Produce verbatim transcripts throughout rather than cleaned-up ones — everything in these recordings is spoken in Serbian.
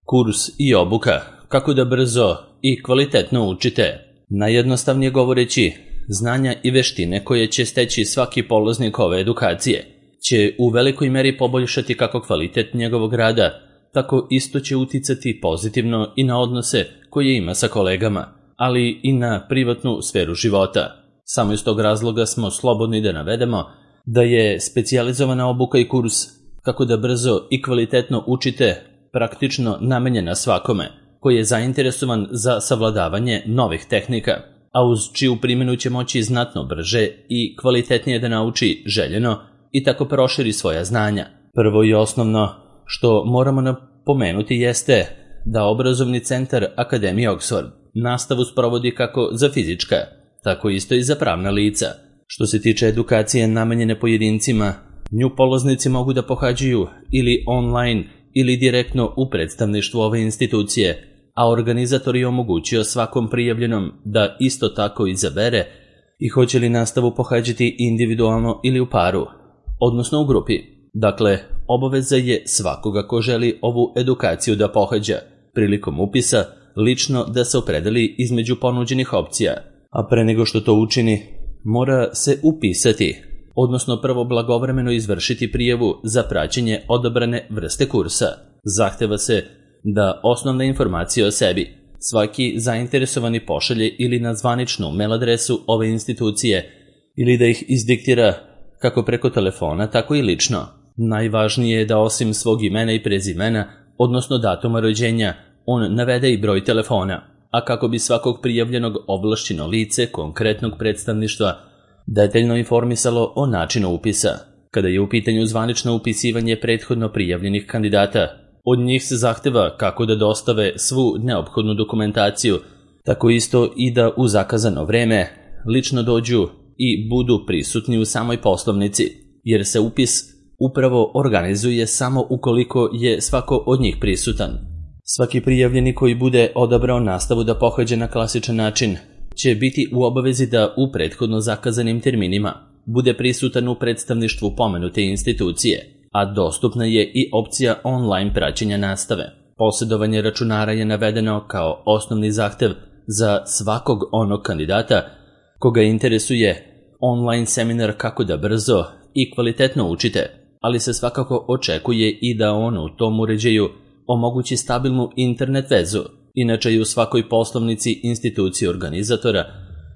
Kurs i obuka, kako da brzo i kvalitetno učite. Najjednostavnije govoreći, znanja i veštine koje će steći svaki polaznik ove edukacije će u velikoj meri poboljšati kako kvalitet njegovog rada, tako isto će uticati pozitivno i na odnose koje ima sa kolegama, ali i na privatnu sferu života. Samo iz tog razloga smo slobodni da navedemo da je specijalizovana obuka i kurs kako da brzo i kvalitetno učite praktično namenjena svakome koji je zainteresovan za savladavanje novih tehnika, a uz čiju primjenu će moći znatno brže i kvalitetnije da nauči željeno i tako proširi svoja znanja. Prvo i osnovno što moramo napomenuti jeste da obrazovni centar Akademije Oxford nastavu sprovodi kako za fizička, tako isto i za pravna lica. Što se tiče edukacije namenjene pojedincima, nju polaznici mogu da pohađaju ili online ili direktno u predstavništvu ove institucije, a organizator je omogućio svakom prijavljenom da isto tako izabere i hoće li nastavu pohađati individualno ili u paru, odnosno u grupi. Dakle, obaveza je svakoga ko želi ovu edukaciju da pohađa, prilikom upisa lično da se opredeli između ponuđenih opcija, a pre nego što to učini, mora se upisati, odnosno prvo blagovremeno izvršiti prijavu za praćenje odabrane vrste kursa. Zahteva se da osnovne informacije o sebi svaki zainteresovani pošalje ili na zvaničnu mail adresu ove institucije ili da ih izdiktira kako preko telefona, tako i lično. Najvažnije je da osim svog imena i prezimena, odnosno datuma rođenja, on navede i broj telefona, a kako bi svakog prijavljenog ovlašćeno lice konkretnog predstavništva detaljno informisalo o načinu upisa. Kada je u pitanju zvanično upisivanje prethodno prijavljenih kandidata, od njih se zahteva kako da dostave svu neophodnu dokumentaciju, tako isto i da u zakazano vreme lično dođu i budu prisutni u samoj poslovnici, jer se upis upravo organizuje samo ukoliko je svako od njih prisutan. Svaki prijavljeni koji bude odabrao nastavu da pohađa na klasičan način će biti u obavezi da u prethodno zakazanim terminima bude prisutan u predstavništvu pomenute institucije, a dostupna je i opcija online praćenja nastave. Posjedovanje računara je navedeno kao osnovni zahtev za svakog onog kandidata koga interesuje online seminar kako da brzo i kvalitetno učite, ali se svakako očekuje i da on u tom uređaju omogući stabilnu internet vezu. Inače i u svakoj poslovnici institucije organizatora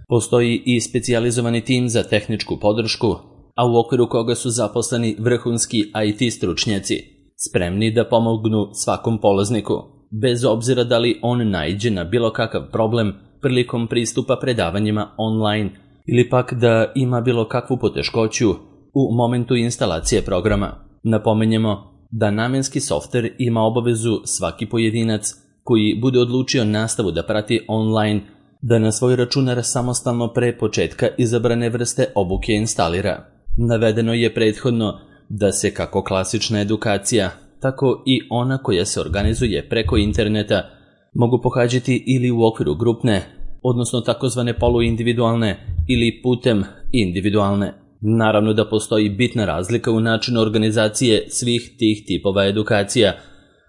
postoji i specijalizovani tim za tehničku podršku, a u okviru koga su zaposleni vrhunski I T stručnjaci, spremni da pomognu svakom polazniku, bez obzira da li on naiđe na bilo kakav problem prilikom pristupa predavanjima online ili pak da ima bilo kakvu poteškoću u momentu instalacije programa. Napomenjemo da namenski softver ima obavezu svaki pojedinac koji bude odlučio nastavu da prati online, da na svoj računar samostalno pre početka izabrane vrste obuke instalira. Navedeno je prethodno da se kako klasična edukacija, tako i ona koja se organizuje preko interneta mogu pohađati ili u okviru grupne, odnosno takozvane poluindividualne ili putem individualne. Naravno da postoji bitna razlika u načinu organizacije svih tih tipova edukacija,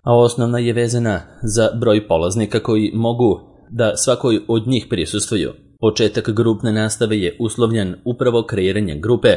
a osnovna je vezana za broj polaznika koji mogu da svakoj od njih prisustvuju. Početak grupne nastave je uslovljen upravo kreiranjem grupe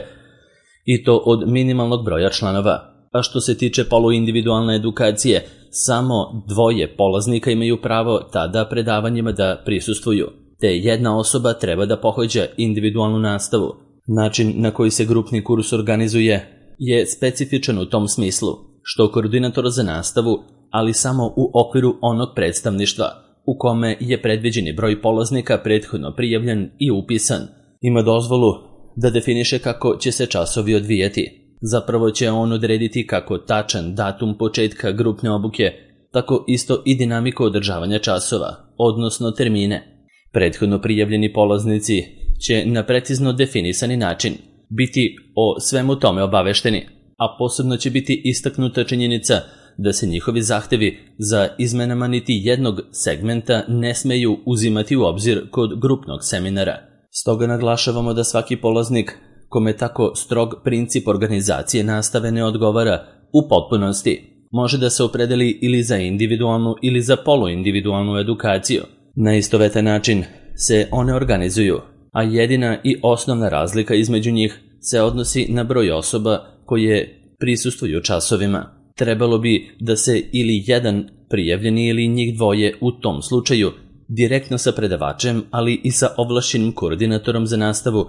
i to od minimalnog broja članova. A što se tiče poluindividualne edukacije, samo dvoje polaznika imaju pravo tada predavanjima da prisustvuju, te jedna osoba treba da pohađa individualnu nastavu. Način na koji se grupni kurs organizuje je specifičan u tom smislu, što koordinator za nastavu, ali samo u okviru onog predstavništva u kome je predviđeni broj polaznika prethodno prijavljen i upisan, ima dozvolu da definiše kako će se časovi odvijati. Zapravo će on odrediti kako tačan datum početka grupne obuke, tako isto i dinamiku održavanja časova, odnosno termine. Prethodno prijavljeni polaznici će na precizno definisani način biti o svemu tome obavešteni, a posebno će biti istaknuta činjenica da se njihovi zahtevi za izmenama niti jednog segmenta ne smeju uzimati u obzir kod grupnog seminara. Stoga naglašavamo da svaki polaznik kome tako strog princip organizacije nastave ne odgovara u potpunosti, može da se opredeli ili za individualnu ili za poluindividualnu edukaciju. Na istovetan način se one organizuju, a jedina i osnovna razlika između njih se odnosi na broj osoba koje prisustvuju časovima. Trebalo bi da se ili jedan prijavljeni ili njih dvoje u tom slučaju direktno sa predavačem, ali i sa ovlašćenim koordinatorom za nastavu,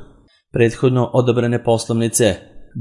prethodno odabrane poslovnice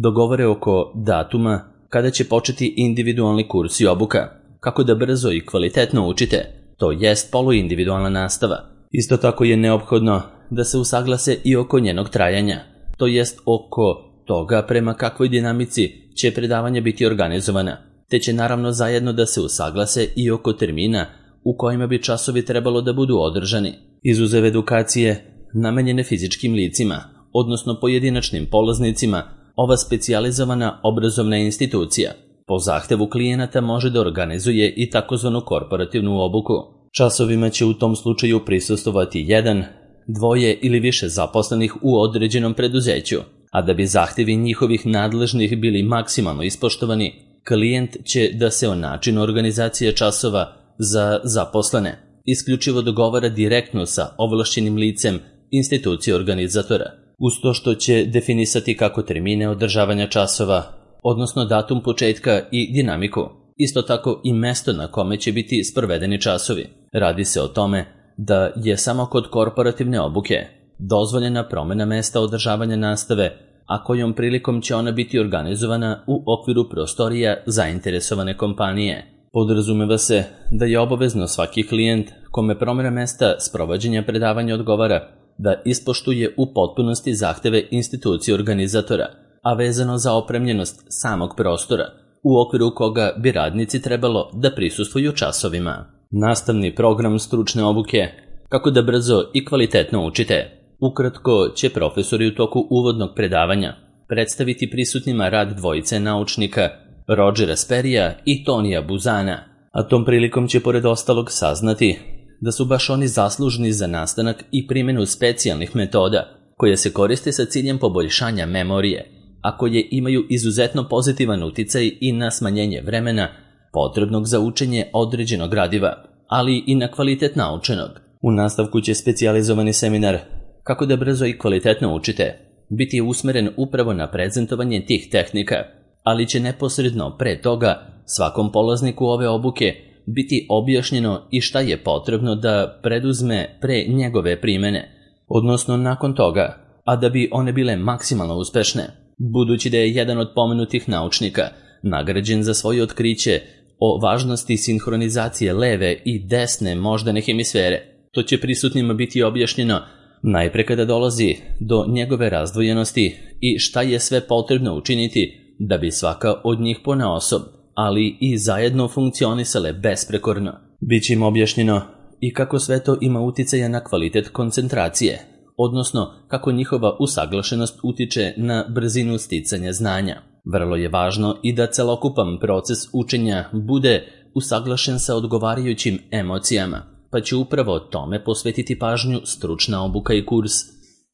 dogovore oko datuma kada će početi individualni kurs i obuka, kako da brzo i kvalitetno učite, to jest poluindividualna nastava. Isto tako je neophodno da se usaglase i oko njenog trajanja, to jest oko toga prema kakvoj dinamici će predavanja biti organizovana, te će naravno zajedno da se usaglase i oko termina u kojima bi časovi trebalo da budu održani. Izuzev edukacije namenjene fizičkim licima, odnosno pojedinačnim polaznicima, ova specijalizovana obrazovna institucija po zahtevu klijenata može da organizuje i takozvanu korporativnu obuku. Časovima će u tom slučaju prisustvovati jedan, dvoje ili više zaposlenih u određenom preduzeću, a da bi zahtevi njihovih nadležnih bili maksimalno ispoštovani, klijent će da se o načinu organizacije časova za zaposlene isključivo dogovara direktno sa ovlašćenim licem institucije organizatora, uz to što će definisati kako termine održavanja časova, odnosno datum početka i dinamiku, isto tako i mesto na kome će biti sprovedeni časovi. Radi se o tome da je samo kod korporativne obuke dozvoljena promjena mesta održavanja nastave, a kojom prilikom će ona biti organizovana u okviru prostorija zainteresovane kompanije. Podrazumeva se da je obavezno svaki klijent kome promjena mesta sprovođenja predavanja odgovara da ispoštuje u potpunosti zahteve institucije organizatora, a vezano za opremljenost samog prostora, u okviru koga bi radnici trebalo da prisustvuju časovima. Nastavni program stručne obuke, kako da brzo i kvalitetno učite. Ukratko će profesori u toku uvodnog predavanja predstaviti prisutnima rad dvojice naučnika, Rodgera Sperrija i Tonija Buzana, a tom prilikom će pored ostalog saznati da su baš oni zaslužni za nastanak i primjenu specijalnih metoda koje se koriste sa ciljem poboljšanja memorije, a koje imaju izuzetno pozitivan uticaj i na smanjenje vremena potrebnog za učenje određenog gradiva, ali i na kvalitet naučenog. U nastavku će specijalizovani seminar kako da brzo i kvalitetno učite biti usmeren upravo na prezentovanje tih tehnika, ali će neposredno pre toga svakom polazniku ove obuke biti objašnjeno i šta je potrebno da preduzme pre njegove primene, odnosno nakon toga, a da bi one bile maksimalno uspešne. Budući da je jedan od pomenutih naučnika nagrađen za svoje otkriće o važnosti sinhronizacije leve i desne moždane hemisfere, to će prisutnima biti objašnjeno najpre kada dolazi do njegove razdvojenosti i šta je sve potrebno učiniti da bi svaka od njih ponaosob, ali i zajedno funkcionisale besprekorno. Biće im objašnjeno i kako sve to ima uticaja na kvalitet koncentracije, odnosno kako njihova usaglašenost utiče na brzinu sticanja znanja. Vrlo je važno i da celokupan proces učenja bude usaglašen sa odgovarajućim emocijama, pa će upravo tome posvetiti pažnju stručna obuka i kurs,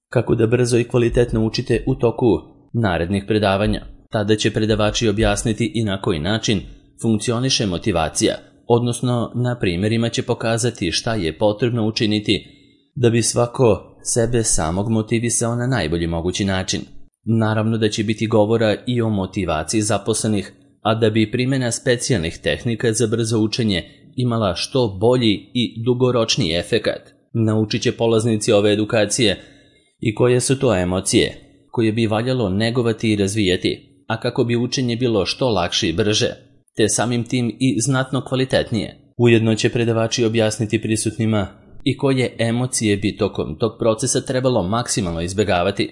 kako da brzo i kvalitetno učite u toku narednih predavanja. Tada će predavači objasniti i na koji način funkcioniše motivacija, odnosno na primjerima će pokazati šta je potrebno učiniti da bi svako sebe samog motivisao na najbolji mogući način. Naravno da će biti govora i o motivaciji zaposlenih, a da bi primjena specijalnih tehnika za brzo učenje imala što bolji i dugoročniji efekat. Naučit će polaznici ove edukacije i koje su to emocije koje bi valjalo negovati i razvijati, a kako bi učenje bilo što lakše i brže, te samim tim i znatno kvalitetnije. Ujedno će predavači objasniti prisutnima i koje emocije bi tokom tog procesa trebalo maksimalno izbjegavati.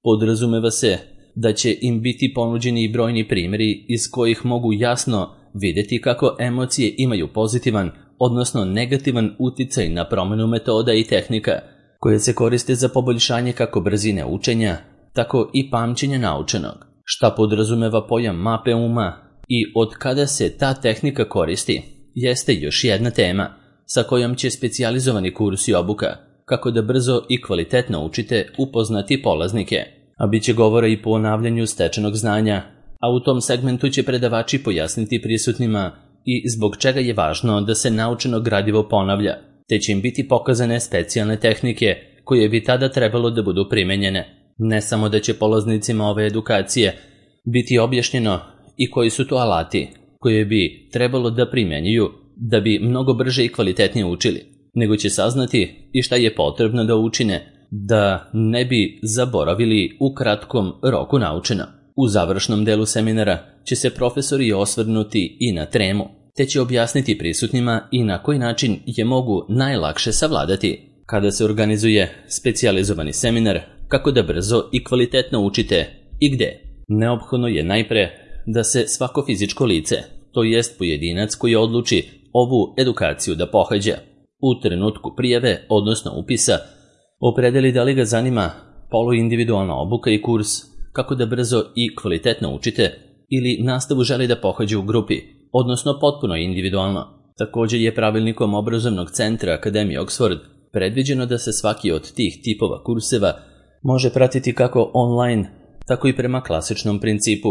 Podrazumeva se da će im biti ponuđeni i brojni primjeri iz kojih mogu jasno vidjeti kako emocije imaju pozitivan, odnosno negativan uticaj na promjenu metoda i tehnika koje se koriste za poboljšanje kako brzine učenja, tako i pamćenja naučenog. Šta podrazumeva pojam mape uma i od kada se ta tehnika koristi, jeste još jedna tema sa kojom će specijalizovani kurs i obuka, kako da brzo i kvalitetno učite, upoznati polaznike, a bit će govora i po ponavljanju stečenog znanja, a u tom segmentu će predavači pojasniti prisutnima i zbog čega je važno da se naučeno gradivo ponavlja, te će im biti pokazane specijalne tehnike koje bi tada trebalo da budu primenjene. Ne samo da će polaznicima ove edukacije biti objašnjeno i koji su to alati koje bi trebalo da primenjuju da bi mnogo brže i kvalitetnije učili, nego će saznati i šta je potrebno da učine da ne bi zaboravili u kratkom roku naučeno. U završnom delu seminara će se profesori osvrnuti i na tremu, te će objasniti prisutnima i na koji način je mogu najlakše savladati. Kada se organizuje specijalizovani seminar, kako da brzo i kvalitetno učite i gde? Neophodno je najpre da se svako fizičko lice, to jest pojedinac koji odluči ovu edukaciju da pohađa, u trenutku prijave, odnosno upisa, opredeli da li ga zanima poluindividualna obuka i kurs, kako da brzo i kvalitetno učite, ili nastavu želi da pohađa u grupi, odnosno potpuno individualno. Također je pravilnikom obrazovnog centra Akademije Oxford predviđeno da se svaki od tih tipova kurseva može pratiti kako online, tako i prema klasičnom principu,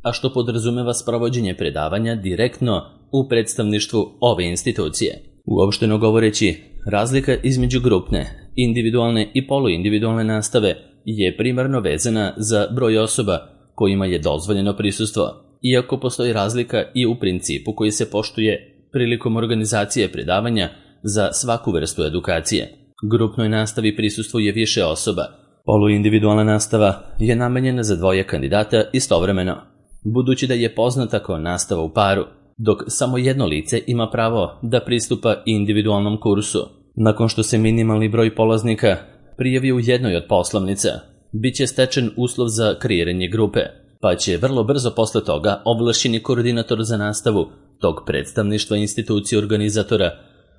a što podrazumeva sprovođenje predavanja direktno u predstavništvu ove institucije. Uopšteno govoreći, razlika između grupne, individualne i poluindividualne nastave je primarno vezana za broj osoba kojima je dozvoljeno prisustvo, iako postoji razlika i u principu koji se poštuje prilikom organizacije predavanja za svaku vrstu edukacije. Grupnoj nastavi prisustvuje više osoba. Poluindividualna nastava je namenjena za dvoje kandidata istovremeno, budući da je poznata kao nastava u paru, dok samo jedno lice ima pravo da pristupa individualnom kursu. Nakon što se minimalni broj polaznika prijavi u jednoj od poslovnica, bit će stečen uslov za kreiranje grupe, pa će vrlo brzo posle toga ovlašćeni koordinator za nastavu tog predstavništva institucije organizatora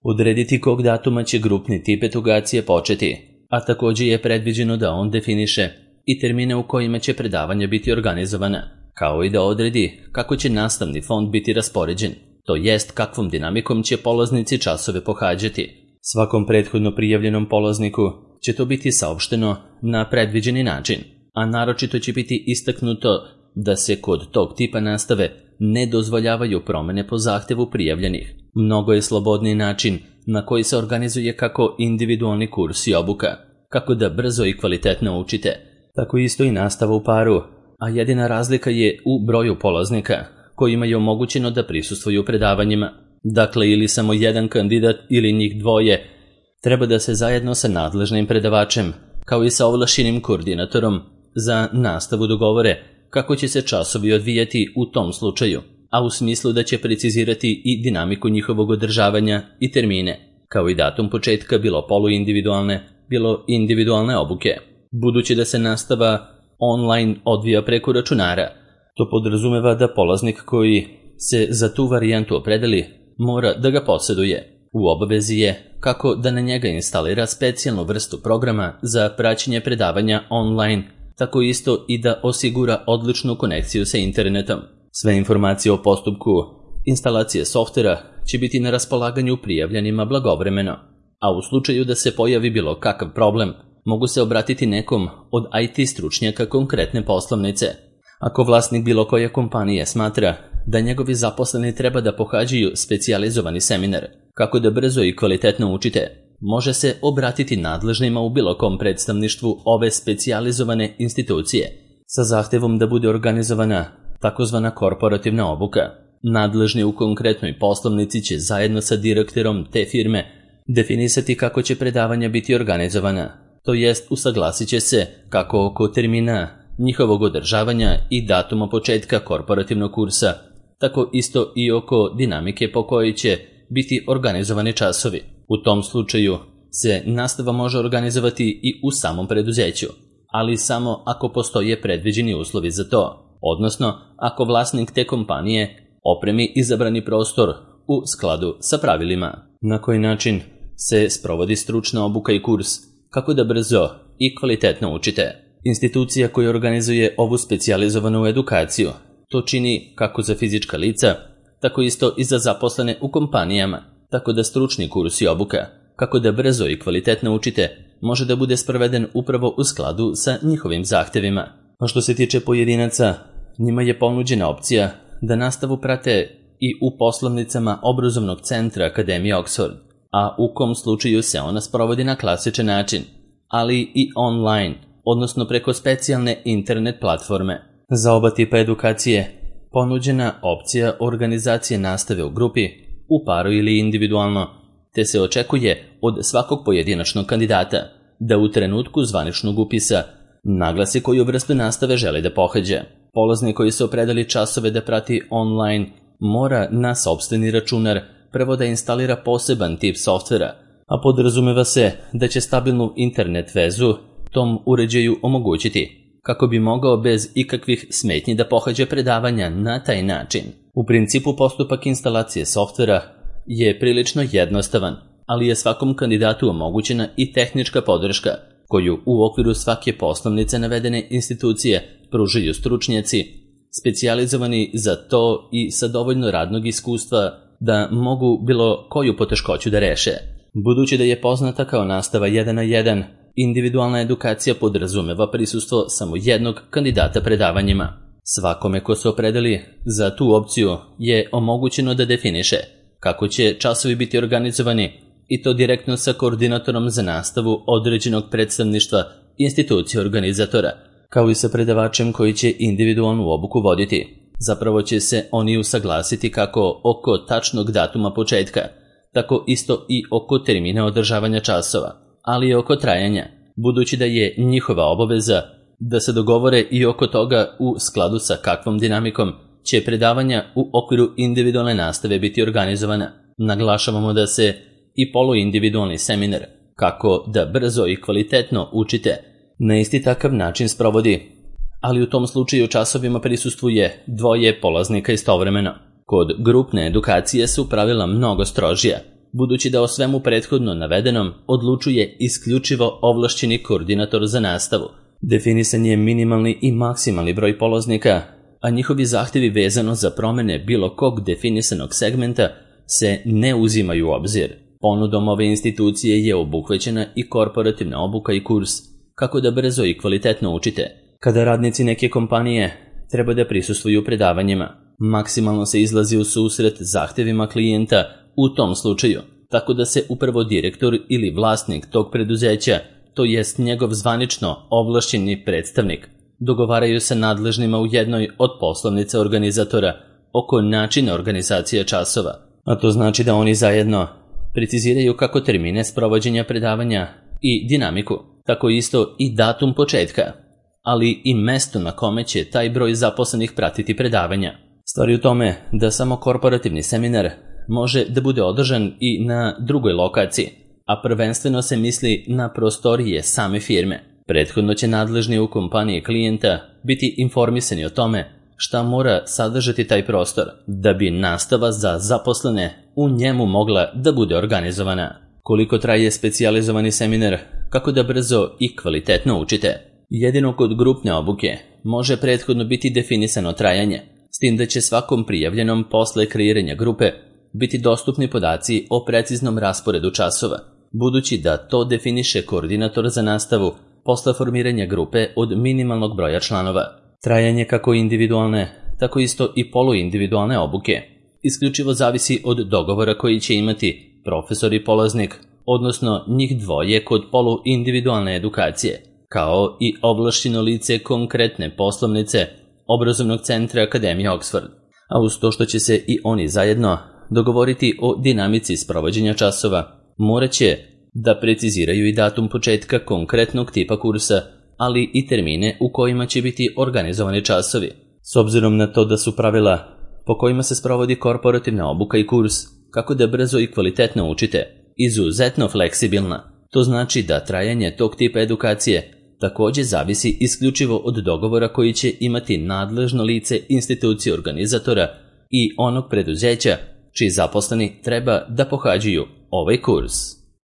odrediti kog datuma će grupni tip edukacije početi, a također je predviđeno da on definiše i termine u kojima će predavanja biti organizovana, kao i da odredi kako će nastavni fond biti raspoređen, to jest kakvom dinamikom će polaznici časove pohađati. Svakom prethodno prijavljenom polazniku će to biti saopšteno na predviđeni način, a naročito će biti istaknuto da se kod tog tipa nastave ne dozvoljavaju promene po zahtevu prijavljenih. Mnogo je slobodniji način na koji se organizuje kako individualni kurs i obuka, kako da brzo i kvalitetno učite, tako isto i nastava u paru, a jedina razlika je u broju polaznika kojima je omogućeno da prisustvuju predavanjima. Dakle, ili samo jedan kandidat ili njih dvoje treba da se zajedno sa nadležnim predavačem, kao i sa ovlašćenim koordinatorom za nastavu dogovore kako će se časovi odvijati u tom slučaju, a u smislu da će precizirati i dinamiku njihovog održavanja i termine, kao i datum početka bilo poluindividualne, bilo individualne obuke. Budući da se nastava online odvija preko računara, to podrazumeva da polaznik koji se za tu varijantu opredeli mora da ga posjeduje. U obavezi je kako da na njega instalira specijalnu vrstu programa za praćenje predavanja online, tako isto i da osigura odličnu konekciju sa internetom. Sve informacije o postupku instalacije softvera će biti na raspolaganju prijavljenima blagovremeno, a u slučaju da se pojavi bilo kakav problem, mogu se obratiti nekom od I T stručnjaka konkretne poslovnice. Ako vlasnik bilo koje kompanije smatra da njegovi zaposleni treba da pohađaju specijalizovani seminar, kako da brzo i kvalitetno učite, može se obratiti nadležnima u bilo kom predstavništvu ove specijalizovane institucije sa zahtevom da bude organizovana takozvana korporativna obuka. Nadležni u konkretnoj poslovnici će zajedno sa direktorom te firme definisati kako će predavanja biti organizovana, to jest usaglasit će se kako oko termina njihovog održavanja i datuma početka korporativnog kursa, tako isto i oko dinamike po kojoj će biti organizovani časovi. U tom slučaju se nastava može organizovati i u samom preduzeću, ali samo ako postoje predviđeni uslovi za to, odnosno ako vlasnik te kompanije opremi izabrani prostor u skladu sa pravilima. Na koji način se sprovodi stručna obuka i kurs, kako da brzo i kvalitetno učite. Institucija koja organizuje ovu specijalizovanu edukaciju to čini kako za fizička lica, tako isto i za zaposlene u kompanijama, tako da stručni kurs i obuka, kako da brzo i kvalitetno učite, može da bude sproveden upravo u skladu sa njihovim zahtevima. A što se tiče pojedinaca, njima je ponuđena opcija da nastavu prate i u poslovnicama obrazovnog centra Akademije Oxford, a u kom slučaju se ona sprovodi na klasičan način, ali i online, odnosno preko specijalne internet platforme. Za oba tipa edukacije ponuđena opcija organizacije nastave u grupi, u paru ili individualno, te se očekuje od svakog pojedinačnog kandidata da u trenutku zvaničnog upisa naglasi koju vrstu nastave želi da pohađa. Polaznik koji se opredeli časove da prati online mora na sopstveni računar prvo da instalira poseban tip softvera, a podrazumeva se da će stabilnu internet vezu tom uređaju omogućiti kako bi mogao bez ikakvih smetnji da pohađa predavanja na taj način. U principu postupak instalacije softvera je prilično jednostavan, ali je svakom kandidatu omogućena i tehnička podrška koju u okviru svake poslovnice navedene institucije pružaju stručnjaci, specijalizovani za to i sa dovoljno radnog iskustva da mogu bilo koju poteškoću da reše. Budući da je poznata kao nastava jedan na jedan, individualna edukacija podrazumeva prisustvo samo jednog kandidata predavanjima. Svakome ko se opredeli za tu opciju je omogućeno da definiše kako će časovi biti organizovani i to direktno sa koordinatorom za nastavu određenog predstavništva institucije organizatora, kao i sa predavačem koji će individualnu obuku voditi. Zapravo će se oni usaglasiti kako oko tačnog datuma početka, tako isto i oko termina održavanja časova, ali i oko trajanja, budući da je njihova obaveza da se dogovore i oko toga u skladu sa kakvom dinamikom će predavanja u okviru individualne nastave biti organizovana. Naglašavamo da se i poluindividualni seminar, kako da brzo i kvalitetno učite, na isti takav način sprovodi, ali u tom slučaju časovima prisustvuje dvoje polaznika istovremeno. Kod grupne edukacije su pravila mnogo strožija, budući da o svemu prethodno navedenom odlučuje isključivo ovlašćeni koordinator za nastavu. Definisan je minimalni i maksimalni broj polaznika, a njihovi zahtevi vezano za promene bilo kog definisanog segmenta se ne uzimaju u obzir. Ponudom ove institucije je obuhvaćena i korporativna obuka i kurs, kako da brzo i kvalitetno učite. Kada radnici neke kompanije treba da prisustvuju predavanjima, maksimalno se izlazi u susret zahtevima klijenta u tom slučaju, tako da se upravo direktor ili vlasnik tog preduzeća, to jest njegov zvanično ovlašćeni predstavnik, dogovaraju sa nadležnima u jednoj od poslovnica organizatora oko načina organizacije časova, a to znači da oni zajedno preciziraju kako termine sprovođenja predavanja i dinamiku, tako isto i datum početka, ali i mesto na kome će taj broj zaposlenih pratiti predavanja. Stvar je u tome da samo korporativni seminar može da bude održan i na drugoj lokaciji, a prvenstveno se misli na prostorije same firme. Prethodno će nadležni u kompaniji klijenta biti informisani o tome šta mora sadržati taj prostor, da bi nastava za zaposlene u njemu mogla da bude organizovana. Koliko traje specijalizovani seminar, kako da brzo i kvalitetno učite. Jedino kod grupne obuke može prethodno biti definisano trajanje, s tim da će svakom prijavljenom posle kreiranja grupe biti dostupni podaci o preciznom rasporedu časova, budući da to definiše koordinator za nastavu posle formiranja grupe od minimalnog broja članova. Trajanje kako individualne, tako isto i poluindividualne obuke isključivo zavisi od dogovora koji će imati profesor i polaznik, odnosno njih dvoje kod poluindividualne edukacije, kao i ovlašćeno lice konkretne poslovnice obrazovnog centra Akademije Oxford, a uz to što će se i oni zajedno dogovoriti o dinamici sprovođenja časova, morat će da preciziraju i datum početka konkretnog tipa kursa, ali i termine u kojima će biti organizovani časovi. S obzirom na to da su pravila po kojima se sprovodi korporativna obuka i kurs, kako da brzo i kvalitetno učite, izuzetno fleksibilna, to znači da trajanje tog tipa edukacije također zavisi isključivo od dogovora koji će imati nadležno lice institucije organizatora i onog preduzeća čiji zaposleni treba da pohađaju ovaj kurs.